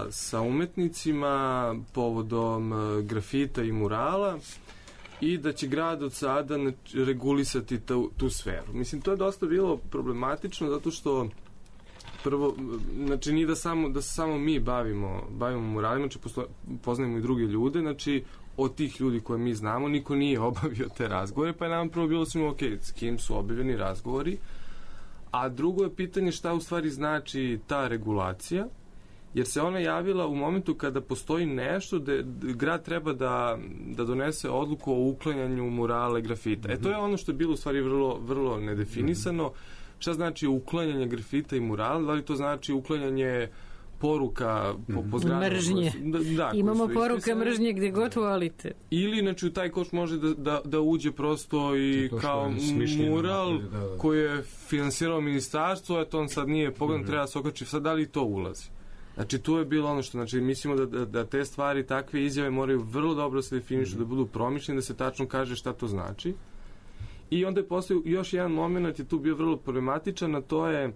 sa umetnicima povodom grafita i murala i da će grad od sada regulisati tu sferu. Mislim, to je dosta bilo problematično zato što prvo, znači nije da se samo mi bavimo muralima, znači poznajemo i druge ljude, znači od tih ljudi koje mi znamo, niko nije obavio te razgovore, pa je nam prvo bilo svima ok, s kim su obavljeni razgovori, a drugo je pitanje šta u stvari znači ta regulacija, jer se ona javila u momentu kada postoji nešto da grad treba da donese odluku o uklanjanju murala i grafita. To je ono što je bilo u stvari vrlo, vrlo nedefinisano. Šta znači uklanjanje grafita i murala? Da li to znači uklanjanje poruka po zgradama? Mržnje. Imamo poruka mržnje gde god volite. Ili, znači, u taj koš može da uđe prosto i kao mural koji je finansirao ministarstvo, eto on sad nije pogledan, treba da se okači. Sad, da li to ulazi? Znači, tu je bilo ono što, znači, mislimo da te stvari, takve izjave moraju vrlo dobro se definišu, da budu promišljene, da se tačno kaže šta to znači. I onda je postoji još jedan moment, je tu bio vrlo problematičan, a to je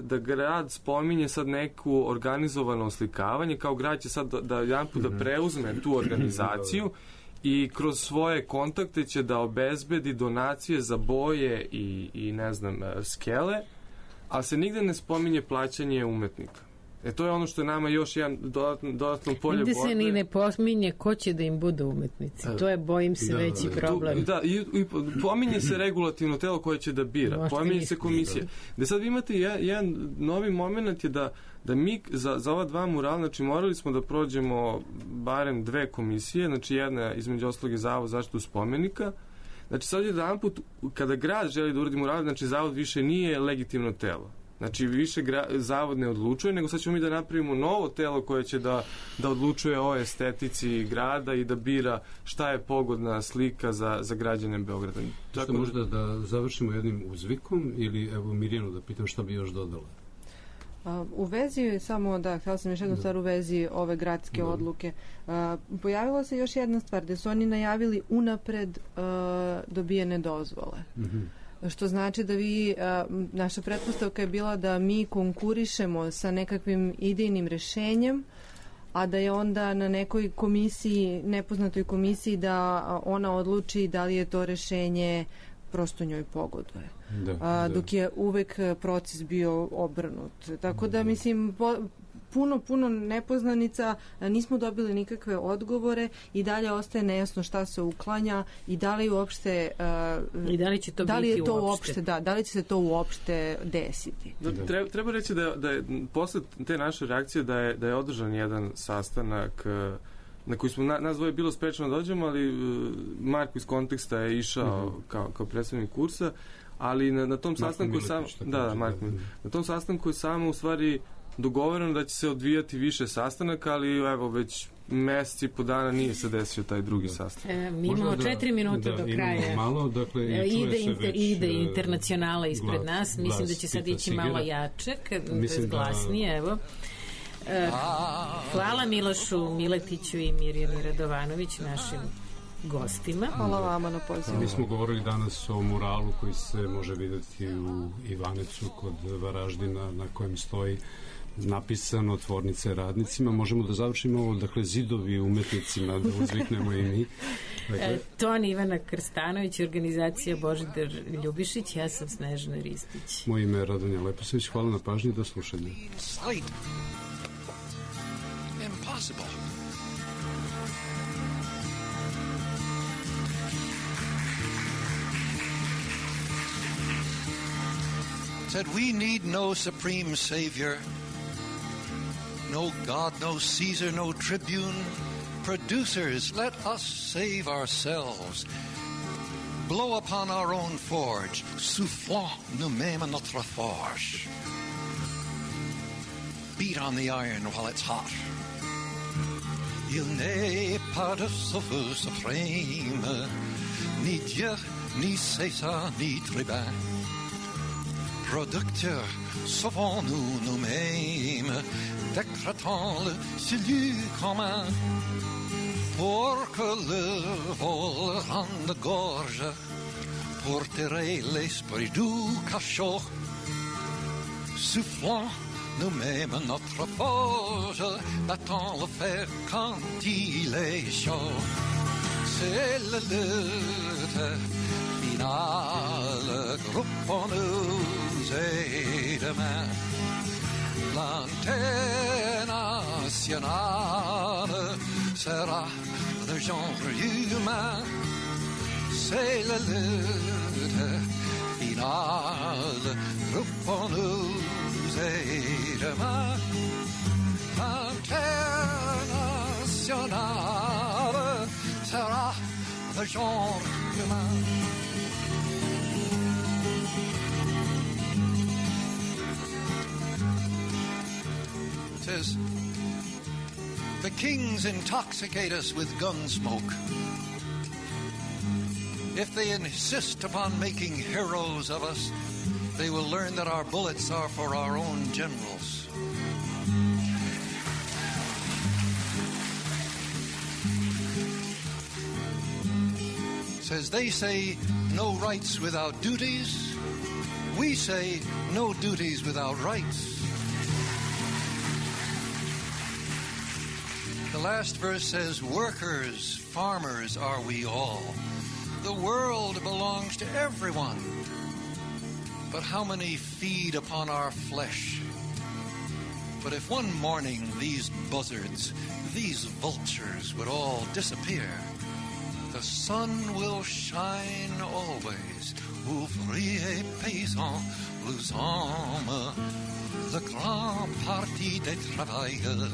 da grad spominje sad neku organizovano oslikavanje, kao grad će sad da jedanput da preuzme tu organizaciju i kroz svoje kontakte će da obezbedi donacije za boje i ne znam, skele, ali se nigde ne spominje plaćanje umetnika. To je ono što je nama još jedan dodatno polje borbe. Nigde se ni ne pominje ko će da im budu umetnici. To je, bojim se, veći problem. I pominje se regulativno telo koje će da bira. Pominje se komisija. Da sad vi imate jedan novi moment je da mi za ova dva murala, znači morali smo da prođemo barem 2 komisije, znači jedna između ostalog je Zavod za zaštitu spomenika. Znači sad jedan put kada grad želi da uradi mural, znači Zavod više nije legitimno telo. Znači, više Zavod ne odlučuje, nego sad ćemo mi da napravimo novo telo koje će da odlučuje o estetici grada i da bira šta je pogodna slika za građane Beograda. Što možda da završimo jednim uzvikom ili evo Mirjanu da pitam šta bi još dodala? U vezi, samo da, htjela sam još jednu stvar u vezi ove gradske odluke. Pojavila se još jedna stvar, da su oni najavili unapred dobijene dozvole. Što znači da naša pretpostavka je bila da mi konkurišemo sa nekakvim idejnim rešenjem, a da je onda na nekoj komisiji, nepoznatoj komisiji, da ona odluči da li je to rešenje prosto njoj pogoduje. Dok je uvek proces bio obrnut. Tako da, mislim, puno nepoznanica, nismo dobili nikakve odgovore i dalje ostaje nejasno šta se uklanja i da li uopšte i da li će to biti uopšte. Da li će se to uopšte desiti. Treba reći da je posle te naše reakcije da je održan jedan sastanak na koji smo nas dvoje bilo sprečeno da dođemo, ali Marko iz Konteksta je išao kao predstavnik kursa, ali na tom sastanku na tom sastanku je samo u stvari dogovoreno da će se odvijati više sastanaka, ali evo već mesec i po dana nije se desio taj drugi sastanak. Mi imamo 4 minuta do kraja. Malo, dakle, ide internacionala ispred nas. Mislim da će sad ići malo jače, glasnije, evo. Hvala Milošu Miletiću i Mirjani Radovanović, našim gostima. Hvala vama na pozivu. Mi smo govorili danas o muralu koji se može vidjeti u Ivanecu kod Varaždina, na kojem stoji napisano tvornice radnicima. Možemo da završimo ovo, dakle, zidovi umetnicima, da uzviknemo i mi. Ton Ivana Krstanović, organizacija Božidar Ljubišić, ja sam Snežana Ristić. Moje ime je Radonja Leposavić, hvala na pažnji, do slušanja. Impossible. Said we need no supreme savior, no God, no Caesar, no tribune. Producers, let us save ourselves. Blow upon our own forge, soufflons nous-mêmes notre forge. Beat on the iron while it's hot. Il n'est pas de sauveur suprême, ni Dieu, ni César, ni tribun. Producteurs, sauvons-nous nous-mêmes, décrétons le salut commun, pour que le vol rende gorge, pour tirer l'esprit du cachot. Soufflons nous-mêmes notre forge, battons le fer quand il est chaud. C'est la lutte finale, groupons-nous et demain. L'antenne nationale sera le genre humain. C'est la lutte finale, reprends-nous et demain. International sera le genre humain. It says, the kings intoxicate us with gun smoke. If they insist upon making heroes of us, they will learn that our bullets are for our own generals. Says they say no rights without duties. We say no duties without rights. The last verse says, workers, farmers are we all. The world belongs to everyone. But how many feed upon our flesh? But if one morning these buzzards, these vultures would all disappear, the sun will shine always. Ouvriers, paysans, nous hommes, le grand parti des travailleurs.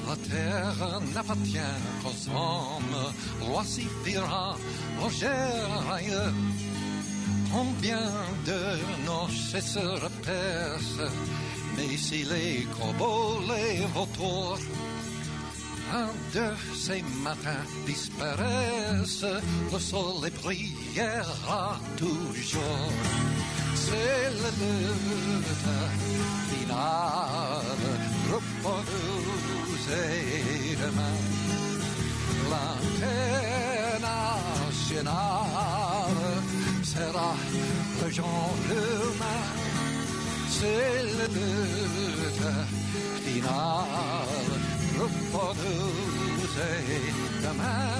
La terre n'appartient qu'aux hommes, voici Piran, Roger, combien de nos chasseurs percent, mais si les corbeaux, les vautours, un de ces matins disparaissent, le soleil brillera toujours. C'est la lutte finale, repose et demain. L'international sera le genre humain. C'est la lutte finale, repose et demain.